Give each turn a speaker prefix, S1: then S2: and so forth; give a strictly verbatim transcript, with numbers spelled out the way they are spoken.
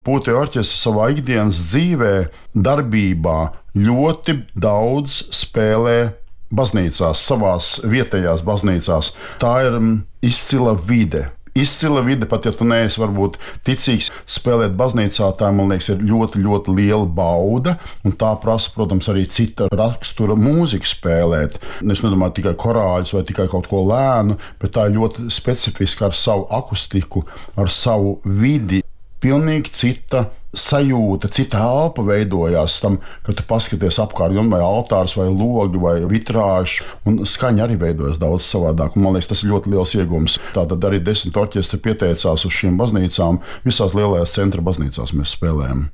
S1: Pūtēju orķestris savā ikdienas dzīvē, darbībā ļoti daudz spēlē baznīcās, savās vietējās baznīcās. Tā ir izcila vide. Izcila vide, pat ja tu neesi varbūt ticīgs, spēlēt baznīcā, tā, man liekas, ir ļoti, ļoti liela bauda. Un tā prasa, protams, arī cita rakstura mūziku spēlēt. Es nedomāju tikai korāļus vai tikai kaut ko lēnu, bet tā ir ļoti specifiska ar savu akustiku, ar savu vidi. Pilnīgi cita sajūta, cita elpa veidojās tam, kad tu paskaties apkārt, vai altārs, vai logi, vai vitrāžs, un skaņa arī veidojas daudz savādāk. Un, man liekas, tas ir ļoti liels iegūms. Tātad arī desmit orķestri pieteicās uz šīm baznīcām. Visās lielajās centra baznīcās mēs spēlējam.